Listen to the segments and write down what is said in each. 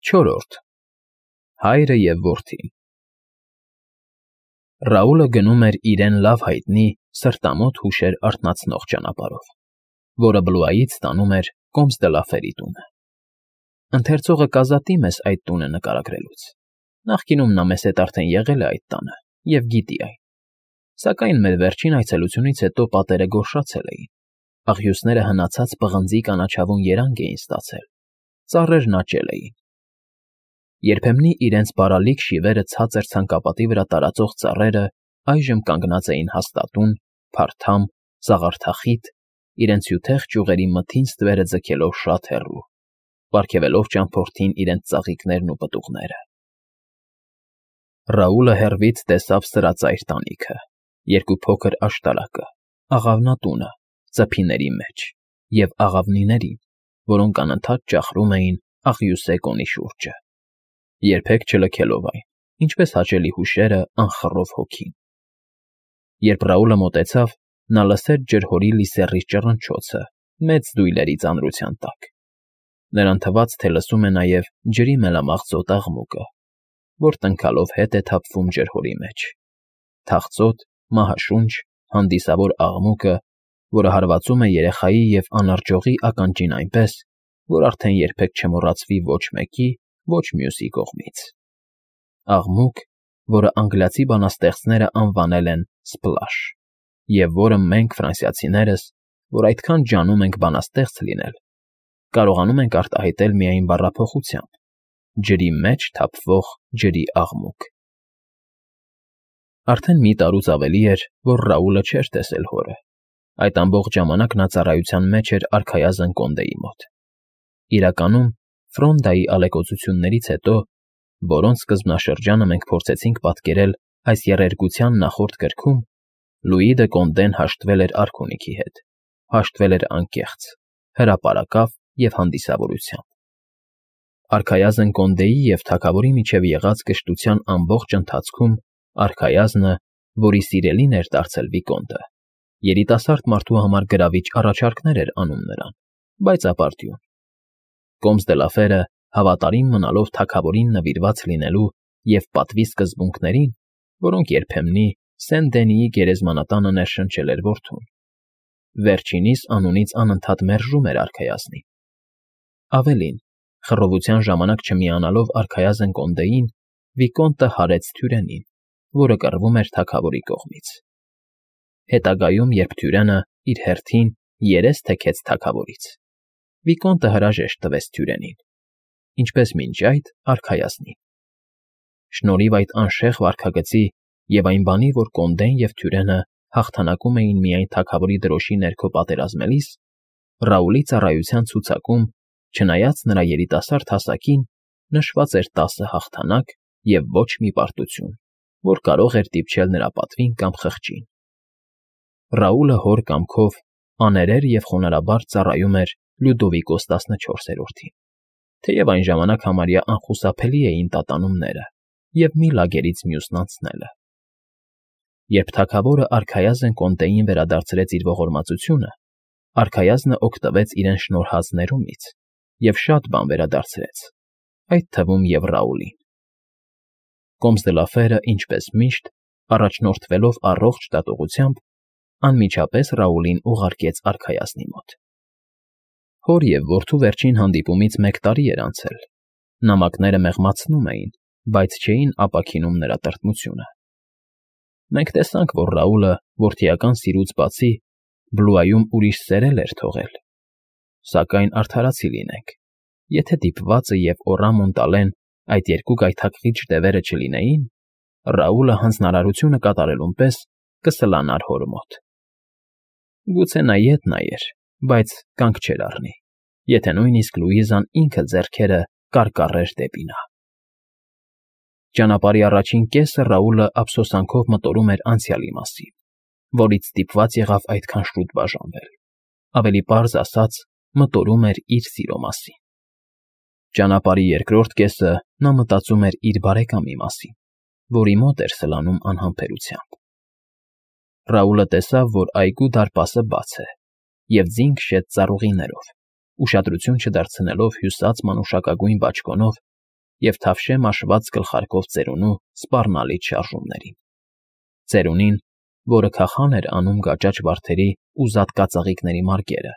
Չորրորդ Հայրը և որդին Ռաուլը գնում էր իրեն լավ հայտնի սրտամոտ հուշեր արթնացնող ճանապարհով, որը Բլուայից տանում էր Կոմս դը Լաֆերի տունը։ Ընթերցողը կազատի մեզ այդ տունը նկարագրելուց։ Նախկինում նա մեզ հետ արդեն եղել է այդ տանը և գիտի այն, սակայն մեր վերջին այցելությունից հետո պատերը գորշացել էին, աղյուսները հնացած պղնձի կանաչավուն երանգ էին ստացել, ծառերն աճել էին։ Երբեմնի իրենց բարալիկ շիվերը ցածր ցանկապատի վրա տարածող ծառերը այժմ կանգնած էին հաստատուն, փարթամ, սաղարթախիտ, իրենց հյութեղ ճյուղերի մթին ստվերը ձգելով շատ հեռու, պարգևելով ճամփորդին իրենց ծաղիկներն ու պտուղները։ Ռաուլը հեռվից տեսավ սրածայր տանիքը, երկու փոքր աշտարակը, աղավնատունը, ծփիների մեջ և աղավնիներին, որոնք անընդհատ ճախրում էին աղյուսե կոնի շուրջը, երբեք չլքելով այն, ինչպես հաճելի հուշերը անխռով հոգին։ Երբ Ռաուլը մոտեցավ, նա լսեց ջրհորի լիսեռի ճռնչոցը մեծ դույլերի ծանրության տակ։ Նրան թվաց, թե լսում է նաև ջրի մելամաղձոտ աղմուկը, որ տնքալով հետ է թափվում ջրհորի մեջ, թախծոտ, մահաշունչ, հանդիսավոր աղմուկը, որը հարվածում է երեխայի և անարջողի ականջին այնպես, որ արդեն երբեք չմոռացվի ոչ մեկի, ոչ մյուսի կողմից։ Աղմուկ, որը անգլիացի բանաստեղծները անվանել են Սպլաշ, և որը մենք, ֆրանսիացիներս, որ այդքան ջանում ենք բանաստեղծ լինել, կարողանում ենք արտահայտել միայն բառափոխությամբ. ջրի մեջ թափվող ջրի աղմուկ։ Արդեն մի տարուց ավելի էր, որ Ռաուլը չէր տեսել հորը։ Այդ ամբողջ ժամանակ նա ծառայության մեջ էր արքայազն Կոնդեի մոտ։ Իրականում, Ֆրոնդայի ալեկոծություններից հետո, որոնց սկզբնաշրջանը մենք փորձեցինք պատկերել այս եռերգության նախորդ գրքում, Լուի դը Կոնդեն հաշտվել էր արքունիքի հետ, հաշտվել էր անկեղծ, հրապարակավ և հանդիսավորությամբ։ Արքայազն Կոնդեի և թագավորի միջև եղած կշտության ամբողջ ընթացքում արքայազնը, որի սիրելին էր դարձել Վիկոնդը, երիտասարդ մարդու համար գրավիչ առաջարկներ էր անում նրան, բայց ապարդյուն։ Կոմս դը Լաֆերը, հավատարիմ մնալով թագավորին նվիրված լինելու և պատվի սկզբունքներին, որոնք երբեմնի Սեն֊Դենիի գերեզմանատանը ներշնչել էր որդուն, վերջինիս անունից անընդհատ մերժում էր արքայազնին։ Ավելին, խռովության ժամանակ չմիանալով արքայազն Կոնդեին, Վիկոնտը հարեց Թյուրենին, որը կռվում էր թագավորի կողմից։ Հետագայում, երբ Թյուրենը իր հերթին երես թեքեց թագավորից, Վիկոնտը հրաժեշտ տվեց Թյուրենին, ինչպես մինչ այդ արքայազնին։ Շնորհիվ այդ անշեղ վարքագծի և այն բանի, որ Կոնդեն և Թյուրենը հաղթանակում էին միայն թագավորի դրոշի ներքո պատերազմելիս, Ռաուլի ծառայության ցուցակում, չնայած նրա երիտասարդ հասակին, նշված էր 10 հաղթանակ և ոչ մի պարտություն, որ կարող էր դիպչել նրա պատվին կամ խղճին։ Ռաուլը հոր կամքով աներեր և խոնարհաբար ծառայում էր Լյուդովիկոս 14-րդին, թեև այն ժամանակ համարյա անխուսափելի էին տատանումները և մի լագերից մյուսն անցնելը։ Երբ թագավորը արքայազն Կոնդեին վերադարձրեց իր ողորմածությունը, արքայազնը օգտվեց իրեն շնորհած ներումից և շատ բան վերադարձրեց, այդ թվում և Ռաուլին։ Կոմս դը Լաֆերը, ինչպես միշտ, առաջնորդվելով առողջ դատողությամբ, անմիջապես Ռաուլին ուղարկեց արքայազնի մոտ։ Հոր և որդու վերջին հանդիպումից 1 տարի էր անցել, նամակները մեղմացնում էին, բայց չէին ապաքինում նրա տրտմությունը։ Մենք տեսանք, որ Ռաուլը, որդիական սիրուց բացի, Բլուայում ուրիշ սեր էր թողել, սակայն արդարացի լինենք, եթե դիպվածը և Օռամոն տալեն այդ երկու գայթակղիչ դևերը չլինեին, Ռաուլը հանձնարարությունը կատարելուն պես կսլանար հոր մոտ։ Գուցե նա ետ նայեր, բայց կանգ չէր առնի, եթե նույնիսկ Լուիզան ինքը ձեռքերը կարկառեր դեպի նա։ Ճանապարհի առաջին կեսը Ռաուլը ափսոսանքով մտորում էր անցյալի մասին, որից ստիպված եղավ այդքան շուտ բաժանվել, ավելի պարզ ասած, մտորում էր իր սիրո մասին։ Ճանապարհի երկրորդ կեսը նա մտածում էր իր բարեկամի մասին, որի մոտ էր սլանում անհամբերությամբ։ Ռաուլը տեսավ, որ այգու դարպասը բաց է, և ձին քշեց ծառուղիներով, ուշադրություն չդարձնելով հյուսած մանուշակագույն բաճկոնով, և թավշե մաշված գլխարկով ծերունու սպառնալից շարժումներին։ Ծերունին, որը քախան էր անում գաճաճ վարդերի ու զատկածաղիկների մարգերը,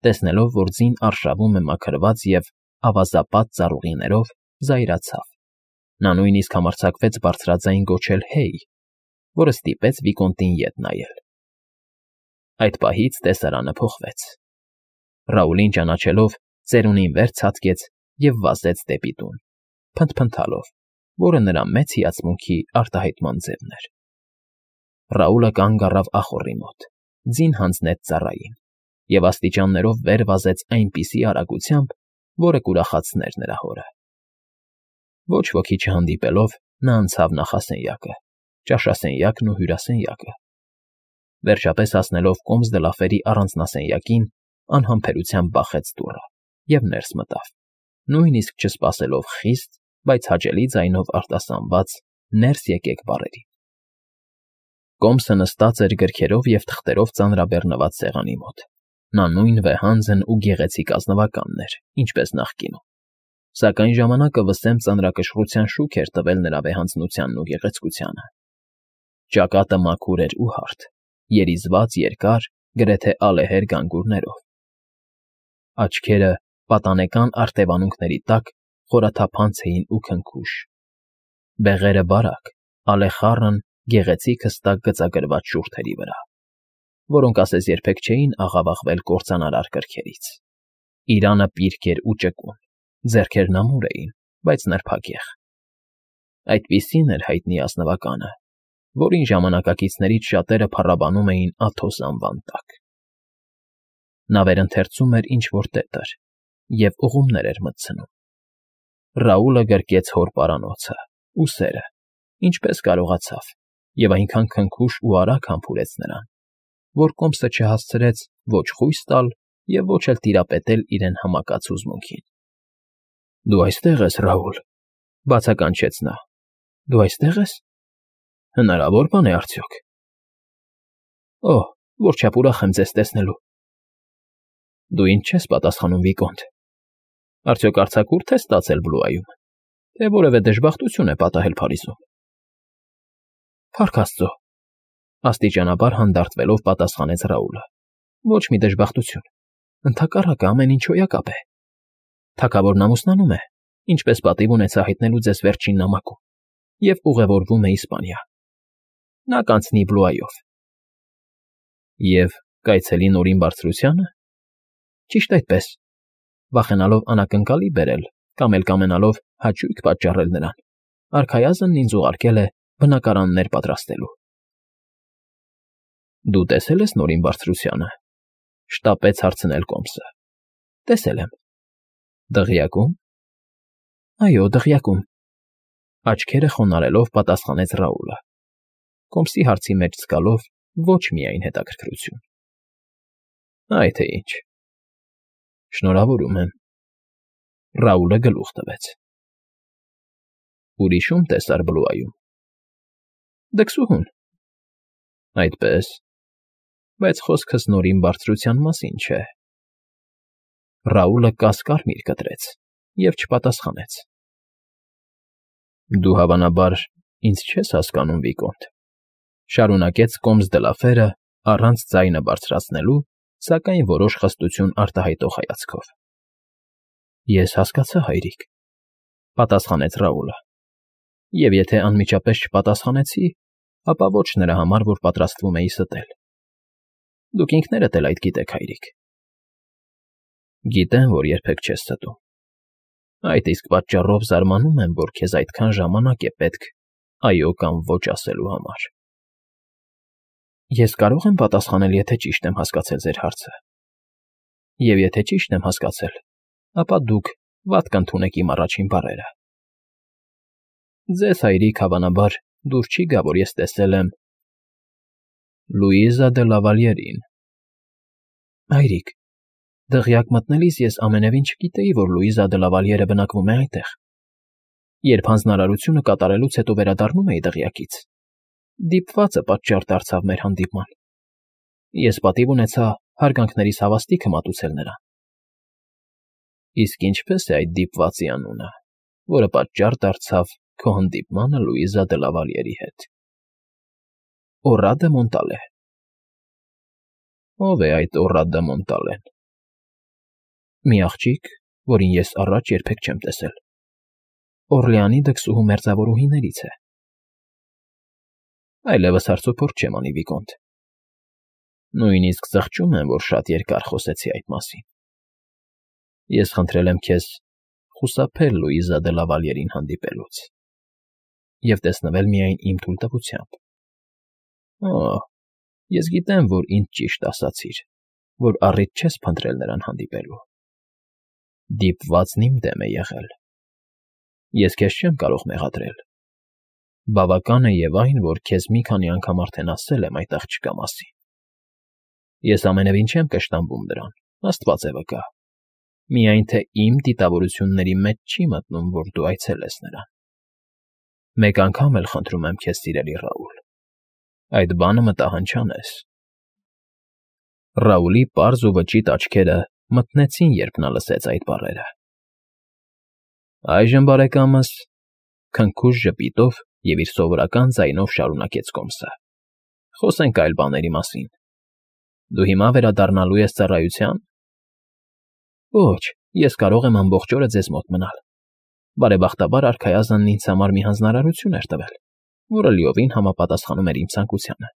տեսնելով, որ ձին արշավում է մաքրված և ավազապատ ծառուղիներով, զայրացավ։ Նա նույնիսկ համարձակվեց բարձրաձայն գոչել «Հեյ», որը ստիպեց Վիկոնտին ետ նայել։ Այդ պահից տեսարանը փոխվեց։ Ռաուլին ճանաչելով, ծերունին վեր ցատկեց և վազեց դեպի տուն, փնթփնթալով, որը նրա մեծ հիացմունքի արտահայտման ձևն էր։ Ռաուլը կանգ առավ ախոռի մոտ, ձին հանձնեց ծառային և աստիճաններով վեր վազեց այնպիսի արագությամբ, որը կուրախացներ նրա հորը։ Ոչ ոքի չհանդիպելով, նա անցավ նախասենյակը, ճաշասենյակն ու հյուրասենյակը։ Վերջապես հասնելով Կոմս դը Լաֆերի առանձնասենյակին, անհամբերությամբ բախեց դուռը և ներս մտավ, նույնիսկ չսպասելով խիստ, բայց հաճելի ձայնով արտասանված «Ներս եկեք» բառերին։ Կոմսը նստած էր գրքերով և թղթերով ծանրաբեռնված սեղանի մոտ։ Նա նույն վեհանձն ու գեղեցիկ ազնվականն էր, ինչպես նախկինում, սակայն ժամանակը վսեմ ծանրակշռության շուք էր տվել նրա վեհանձնությանն ու գեղեցկությանը։ Ճակատը մաքուր էր ու հարթ, երիզված երկար, գրեթե ալեհեր գանգուրներով։ Աչքերը պատանեկան արտևանունքների տակ խորաթափանց էին ու քնքուշ։ Բեղերը բարակ, ալեխառն, գեղեցիկ հստակ գծագրված շուրթերի վրա, որոնք ասես երբեք չէին աղավաղվել կործանարար կրքերից։ Իրանը պիրկ էր ու ճկուն, ձեռքերն ամուր էին, բայց նրբագեղ։ Այդպիսին էր հայտնի ազնվականը, որին ժամանակակիցներից շատերը փառաբանում էին Աթոս անվան տակ։ Նա վերընթերցում էր ինչ֊որ տետր և ուղումներ էր մտցնում։ Ռաուլը գրկեց հոր պարանոցը, ուսերը, ինչպես կարողացավ, և այնքան քնքուշ ու արագ համբուրեց նրան, որ Կոմսը չհասցրեց ոչ խույս տալ և ոչ էլ տիրապետել իրեն համակած հուզմունքին։ ֊ Դու այստեղ ես, Ռաուլ,֊ բացականչեց նա։ ֊ Դու այստեղ ես… Հնարավոր բան է արդյոք… Օհ, որչափ ուրախ եմ ձեզ տեսնելու… Դու ինձ չես պատասխանում, Վիկոնտ… Արդյոք արձակուրդ ես ստացել Բլուայում, թե որևէ դժբախտություն է պատահել Փարիզում… Փառք աստծո…֊ աստիճանաբար հանդարտվելով պատասխանեց Ռաուլը։֊ Ոչ մի դժբախտություն… Ընդհակառակը, ամեն ինչ հոյակապ է… Թագավորն ամուսնանում է, ինչպես պատիվ ունեցա հայտնելու ձեզ վերջին նամակում, և ուղևորվում է Իսպանիա… Նա կանցնի Բլուայով… Եվ կայցելի Նորին Բարձրությա՞նը… Ճիշտ այդպես… Վախենալով անակնկալի բերել կամ էլ կամենալով հաճույք պատճառել նրան, արքայազնն ինձ ուղարկել է բնակարաններ պատրաստելու։ ֊ Դու տեսել ես Նորին Բարձրությանը,֊ շտապեց հարցնել Կոմսը։ ֊ Տեսել եմ։ ֊ Դղյակո՞ւմ։ ֊ Այո, դղյակում,֊ աչքերը խոնարհելով պատասխանեց Ռաուլը, Կոմսի հարցի մեջ զգալով ոչ միայն հետաքրքրություն։ ֊ Այ թե ինչ… Շնորհավորում եմ…֊ Ռաուլը գլուխ տվեց։ ֊ Ուրիշ ո՞ւմ տեսար Բլուայում։ ֊ Դքսուհուն։ ֊ Այդպե՞ս… Բայց խոսքս Նորին Բարձրության մասին չէ… Ռաուլը կասկարմիր կտրեց և չպատասխանեց։ ֊ Դու, հավանաբար, ինձ չես հասկանում, Վիկոնտ,֊ շարունակեց Կոմս դը Լաֆերը առանց ձայնը բարձրացնելու, սակայն որոշ խստություն արտահայտող հայացքով։ ֊ Ես հասկացա, հայրիկ,֊ պատասխանեց Ռաուլը,֊ և եթե անմիջապես չպատասխանեցի, ապա ոչ նրա համար, որ պատրաստվում էի ստել։ Դուք ինքներդ էլ այդ գիտեք, հայրիկ։ ֊ Գիտեմ, որ երբեք չես ստում։ Այդ իսկ պատճառով զարմանում եմ, որ քեզ այդքան ժամանակ է պետք «այո» կամ «ոչ» ասելու համար։ ֊ Ես կարո՞ղ եմ պատասխանել, եթե ճիշտ եմ հասկացել ձեր հարցը։ Եվ եթե ճիշտ եմ հասկացել, ապա դուք վատ կընդունեք իմ առաջին բառերը։ Ձեզ, հայրիկ, հավանաբար, դուր չի գա, որ ես տեսել եմ… Լուիզա դը Լավալյերին։ ֊ Հայրիկ, դղյակ մտնելիս ես ամենևին չգիտեի, որ Լուիզա դը Լավալյերը բնակվում է այնտեղ։ Երբ հանձնարարությունը կատարելուց հետո վերադառնում էի դղյակից, դիպվածը պատճառ դարձավ մեր հանդիպման։ Ես պատիվ ունեցա հարգանքներիս հավաստիքը մատուցել նրան։ ֊ Իսկ ինչպե՞ս է այդ դիպվածի անունը, որը պատճառ դարձավ քո հանդիպմանը Լուիզա դե Լավալյերի հետ։ Օռա դե Մոնտալե։ Ո՞վ է այդ Օռա դե Մոնտալեն։ Մի աղջիկ, որին ես առաջ երբեք չեմ տեսել։ Օրլեանի դքսուհու մերձավորուհիներից է։ Այլևս հարցոփորձ չեմ անի, Վիկոնտ։ Նույնիսկ զղջում եմ, որ շատ երկար խոսեցի այդ մասին։ Ես խնդրել եմ քեզ խուսափել Լուիզա դե Լավալյերին հանդիպելուց և տեսնվել միայն իմ թույլտվությամբ։ Օ, ես գիտեմ, որ ինձ ճիշտ ասացիր, որ առիթ չես փնտրել նրան հանդիպելու։ Դիպվածն իմ դեմ է եղել։ Ես քեզ չեմ կարող մեղադրել։ Բավական է և այն, որ քեզ մի քանի անգամ արդեն ասել եմ այդ աղջկա մասին։ Ես ամենևին չեմ կշտամբում դրան, Աստված է վկա։ Միայն թե իմ դիտավորությունների մեջ չի մտնում, որ դու այցելես նրան։ Մեկ անգամ էլ խնդրում եմ քեզ, սիրելի Ռաուլ, այդ բանը մտահանչանես։ Ռաուլի պարզ ու վճիտ աչքերը մթնեցին, երբ նա լսեց այդ բառերը։ Այժմ, բարեկամս, քնքուշ ժպիտով և իր սովորական ձայնով շարունակեց Կոմսը, խոսենք այլ բաների մասին։ Դու հիմա վերադառնալու ես ծառայության։ Ոչ, ես կարող եմ ամբողջ օրը ձեզ մոտ մնալ։ Բարեբախտաբար արքայազնն ինձ համար մի հանձնարարություն էր տվել, որը լիովին համապատասխանում էր իմ ցանկությանը։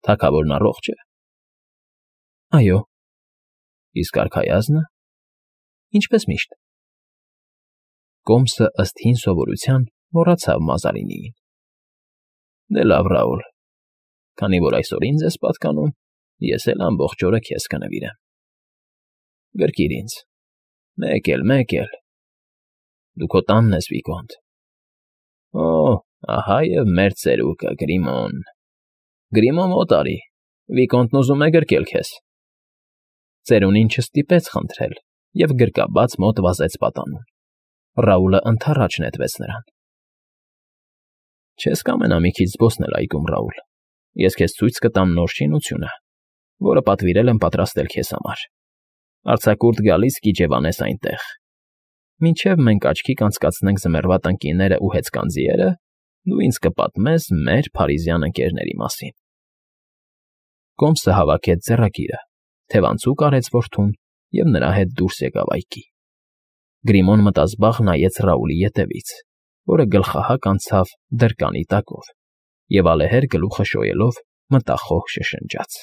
Թագավորն առողջ է։ Այո։ Իսկ արքայազնը։ Ինչպես միշտ։ Կոմսը ըստ հին սովորության մոռացավ Մազարինիին։ Դե լավ, Ռաուլ, քանի որ այսօր ինձ ես պատկանում, ես էլ ամբողջ օրը քեզ կնվիրեմ։ Գրկիր ինձ։ Մեկ էլ։ Դու քո տանն ես, Վիկոնտ։ Օ, ահա և մեր ծերուկը, Գրիմոն։ Գրիմոն մոտ արի, Վիկոնտն ուզում է գրկել քեզ։ Ծերունին չստիպեց խնդրել և գրկաբաց մոտ վազեց պատանուն։ Ռաուլը ընդառաջ նետվեց նրան։ Չես կամենա մի քիչ զբոսնել այգում, Ռաուլ։ Ես քեզ ցույց կտամ նոր շինությունը, որը պատվիրել եմ պատրաստել քեզ համար։ Արձակուրդ գալիս կիջևանես այնտեղ։ Մինչև մենք աչքի կանցկացնենք ձմեռվա տնկիներն ու հեծկանձիերը, դու ինձ կպատմես մեր փարիզյան ընկերների մասին։ Կոմսը հավաքեց ձեռագիրը, թևանցուկ արեց որդուն և նրա հետ դուրս եկավ այգի։ Գրիմոն մտազբաղ նայեց Ռաուլի ետևից, որը գլխահակ անցավ դրկանի տակով, և ալեհեր գլուխը շոյելով մտախոհ շշնջաց։